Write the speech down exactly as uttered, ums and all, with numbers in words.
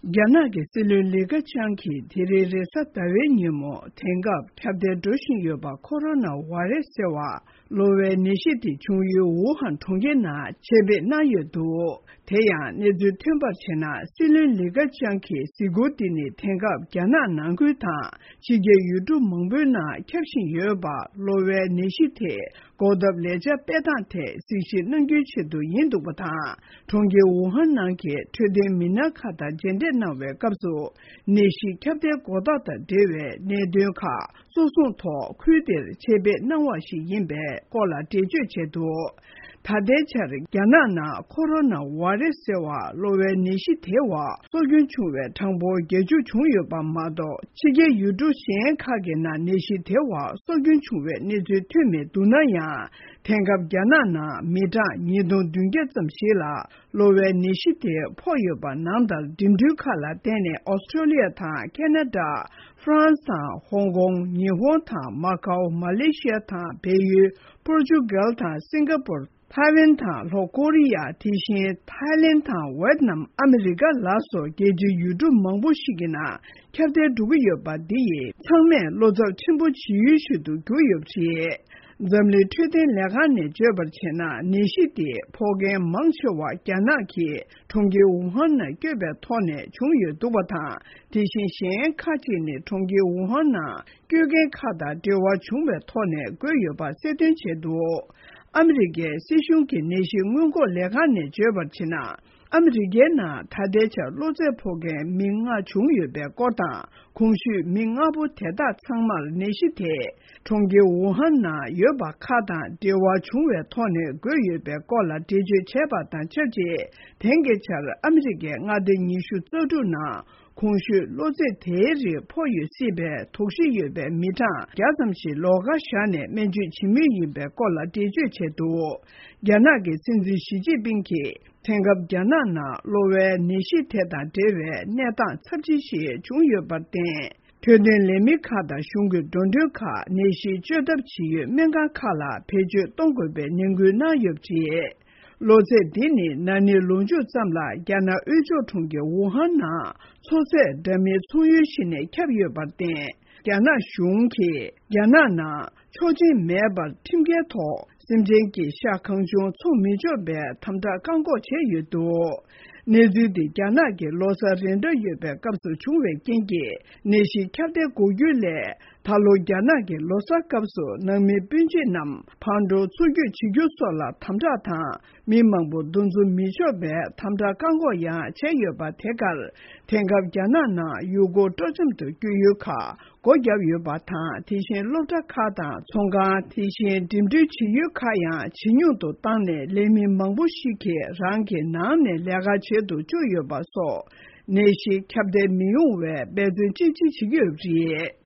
རྒྱ་ནག་གི་སྲིད་བློན་ལི་ཁེ་ཆང་གིས་དེ་རིང་རེས་གཟའ་ཟླ་བའི་ཉིན་མོ། དེང་སྐབས་ཁྱབ་གདལ་འགྲོ་བཞིན་ཡོད་པ་ཁོ་རོ་ན་བྷ་རེ་སི་ཟེར་བ་གློ་བའི་ནད་གཞི་དེ་བྱུང་ཡུལ་ཝུ་ཧན་གྲོང་ཁྱེར་ནང་ཆེད་ཕེབས་གནང་ཡོད་འདུག་དེ་ཡང་གནས་ཚུལ་ཐོན་པར་བྱས་ན། སྲིད་བློན་ལི་ཁེ་ཆང་གི་གཟིགས་སྐོར་འདི་ནི་དེང་སྐབས་རྒྱ་ནག་ནང་ཁུལ་དང་ཕྱི་རྒྱལ་ཡུལ་གྲུ་མང་པོའི་ནང་ཁྱབ་བཞིན་ཡོད་པ་གློ་བའི་ནད་གཞི་དེ་འགོག་ཐབས་ལས་འཆར་སྤེལ་སྟངས་ཐད་གཟིགས་ཞིབ་གནང་རྒྱུའི་ཆེད་དུ་ཡིན་འདུག་པ་དང་། གྲོང་ཁྱེར་ཝུ་ཧན་ནང་གི་འཕྲོད་བསྟེན་མི་སྣ་ཁག་དང་མཇལ་འཕྲད་གནང་བའི་སྐབས་སུ། ནད་གཞི་ཁྱབ་གདལ་འགོག་ཐབས་དང་འབྲེལ་བའི་གནད་དོན་ཁག་གཙོ་བཟུང་ཐོག་ཁུལ་དེར་ཆེད་ཕེབས་གནང་བ་ཞིག་ཡིན་པའི་སྐོར་ལ་འགྲེལ་བརྗོད་བྱས་འདུག་ད་ལྟའི་ཆར་རྒྱ་ནག་ནང་ཁོ་རོ་ན་བྷ་རེ་སི་ཟེར་བ་གློ་བའི་ནད་གཞི་དེ་བ་སྲོག་སྐྱོན་བྱུང་བའི་གྲངས་འབོར་བརྒྱད་ཅུ་བྱུང་ཡོད་པ་མ་གཏོགས། ཕྱི་རྒྱལ་ཡུལ་གྲུ་གཞན་ཁག་གི་ནང་ནད་གཞི་དེ་བ་སྲོག་སྐྱོན་བྱུང་བའི་གནས་ཚུལ་ཐོན་མེད་འདུག་ན་ཡང་། དེང་སྐབས་རྒྱ་ནག་ནང་མི་གྲངས་ཉིས་སྟོང་བདུན་བརྒྱ་ཙམ་ཞིག་ལ་གློ་བའི་ནད་གཞི་དེ་ཕོག་ཡོད་པ་ནང་ལྟར། འགྲིམ་འགྲུལ་ཁག་ལ་བརྟེན་ནས་ཨོ་སི་ཀྲོ་ལི་ཡ་དང་ཁེ་ན་ཌ། ཧྥ་རན་སི་དང་ཧོང་ཀོང་། ཉི་ཧོང་དང་མ་ཀའོ། མ་ལེ་ཤི་ཡ་དང་བལ་ཡུལ། པོར་ཅུ་གལ་དང་སིང་ག་པུར། ཐའེ་ཝན་དང་ལྷོ་ཀོ་རི་ཡ། དེ་བཞིན་ཐའེ་ལེན་དང་ཝེད་ནམ། ཨ་མི་རི་ཀ་ལ་སོགས་རྒྱལ་སྤྱིའི་ཡུལ་གྲུ་མང་པོ་ཞིག་གི་ནང་ཁྱབ་གདལ་འགྲོ་གི་ཡོད་པ་འདི་ཡིས་ཚང་མས་བློ་འཚབ་ཆེན་པོ་བྱེད་ཡུལ་ཞིག་ཏུ་གྱུར་ཡོད་པ་རེད། འཛམ་གླིང་འཕྲོད་བསྟེན་ལས་ཁང་ནས་བརྗོད་པར་བྱས་ན། ནད་གཞི་དེ་ཕོག་མཁན་མང་ཆེ་བ་རྒྱ་ནག་གི་གྲོང་ཁྱེར་ཝུ་ཧན་ནང་བསྐྱོད་པའི་ཐོག་ནས་བྱུང་ཡོད་འདུག་པ་དང་། དེ་བཞིན་གཞན་ཁག་ཅིག་ནི་གྲོང་ཁྱེར་ཝུ་ཧན་ནང་སྐྱོད་མཁན་ཁག་དང་འབྲེལ་བ་བྱུང་བའི་ཐོག་ནས་འགོས་ཡོད་པ་གསལ་སྟོན་བྱས་འདུག་ཨ་མི་རི་ཀའི་སྲིད་གཞུང་གི་ནད་གཞི་སྔོན་འགོག་ལས་ཁང་ནས་བརྗོད་པར་བྱས་ན། ཨ་མི་རི་ཀའི་ནང་ད་ལྟའི་ཆར་གློ་ཚད་ཕོག་མཁན་མི་ལྔ་བྱུང་ཡོད་པའི་སྐོར་དང་། གོང་ཞུས་མི་ལྔ་པོ་དེ་དག་ཚང་མར་ནད་གཞི་དེ་གྲོང་ཁྱེར་ཝུ་ཧན་ནང་ཡོད་པ་ཁག་དང་འབྲེལ་བ་བྱུང་བའི་ཐོག་ནས་འགོས་ཡོད་པའི་སྐོར་ལ་འགྲེལ་བརྗོད་བྱས་པ་དང་ཆབས་ཅིག་དེང་གི་ཆར་ཨ་མི་རི་ཀའི་མངའ་སྡེ་ཉི་ཤུ་རྩ་དྲུག་ནང་གོང་ཞུས་གློ་ཚད་དེའི་རིགས་ཕོག་ཡོད་སྲིད་པའི་དོགས་གཞི་ཡོད་པའི་མི་གྲངས་བརྒྱ་ཙམ་ཞིག་ལོགས་ཀ་བཞག་ནས་སྨན་བཅོས་བྱེད་མུས་ཡིན་པའི་སྐོར་ལ་འགྲེལ་བརྗོད་བྱས་འདུག་རྒྱ་ནག་གི་སྲིད་འཛིན་ཞི་ཅིན་ཕིང་གིས། དེང་སྐབས་རྒྱ་ནག་ནང་གློ་བའི་ནད་གཞི་དེ་དང་འབྲེལ་བའི་གནས་སྟངས་ཚབས་ཆེན་ཞིག་བྱུང་ཡོད་པར་བརྟེན། འཕྲོད་བསྟེན་ལས་མི་ཁག་དང་གཞུང་གི་འགྲོ་གྲོན་ཁག་ནད་གཞི་བཅོས་ཐབས་བྱེད་ཡུལ་སྨན་ཁང་ཁག་ལ་བེད་སྤྱོད་གཏོང་དགོས་པའི་ནན་སྐུལ་གནང་ཡོད་པ་རེད། གློ་ཚད་འདི་ནི་ན་ནིང་ལོ་མཇུག་ཙམ་ལ་རྒྱ་ནག་དབུས་ཕྱོགས་གྲོང་ཁྱེར་ཝུ་ཧན་ནང་མཚོ་ཚད་འདྲ་མིན་ཚོང་ཡུལ་ཞིག་ནས་ཁྱབ་ཡོད་པར་བརྟེན། རྒྱ་ནག་གཞུང་གིས་རྒྱ་ནག་ནང་ཆོག་མཆན་མེད་པར་ཁྲིམས་འགལ་ཐོག་སེམས་ཅན་གྱི་ཤ་གང་བྱུང་འཚོང་མི་ཆོག་པའི་དམ་དྲག་བཀག་འགོག་བྱས་ཡོད་འདུག་གནས་ཚུལ་འདི་རྒྱ་ནག་གི་ལོ་གསར་རན་འདྲ་ཡོད་པའི་སྐབས་སུ་བྱུང་བའི་རྐྱེན་གྱིས། ནད་གཞི་ཁྱབ་གདལ་འགོག་རྒྱུའི་སླད་ད་ལོ་རྒྱ་ནག་གི་ལོ་གསར་སྐབས་སུ་ནང་མི་སྤུན་མཆེད་རྣམས་ཕར་འགྲོ་ཚུར་སྐྱོད་བྱེད་རྒྱུ་སོགས་ལ་དམ་དྲག་དང་། མི་མང་པོ་འདུ་འཛོམས་མི་ཆོག་པའི་དམ་དྲག་བཀག་འགོག་ཡང་བྱས་ཡོད་པ། དེ་གར་དེང་སྐབས་རྒྱ་ནག་ནང་ཡུལ་སྐོར་སྤྲོ་འཆམ་དུ་བསྐྱོད་ཡུལ་ཁག་སྒོ་བརྒྱབ་ཡོད་པ་དང་། དེ་བཞིན་སློབ་གྲྭ་ཁག་དང་ཚོང་ཁང་། དེ་བཞིན་འགྲིམ་འགྲུལ་བྱེད་ཡུལ་ཁག་ཡང་ཇེ་ཉུང་དུ་བཏང་ནས། ལས་མི་མང་པོ་ཞིག་གིས་རང་གི་ནང་ནས་ལས་ཀ་བྱེད་དུ་བཅུག་ཡོད་པ་སོགས། ནད་གཞི་ཁྱབ་གདལ་མི་ཡོང་བའི་འབད་བརྩོན་ཅི་ཆེ་བྱེད་ཀྱི་ཡོད་པ་རེད།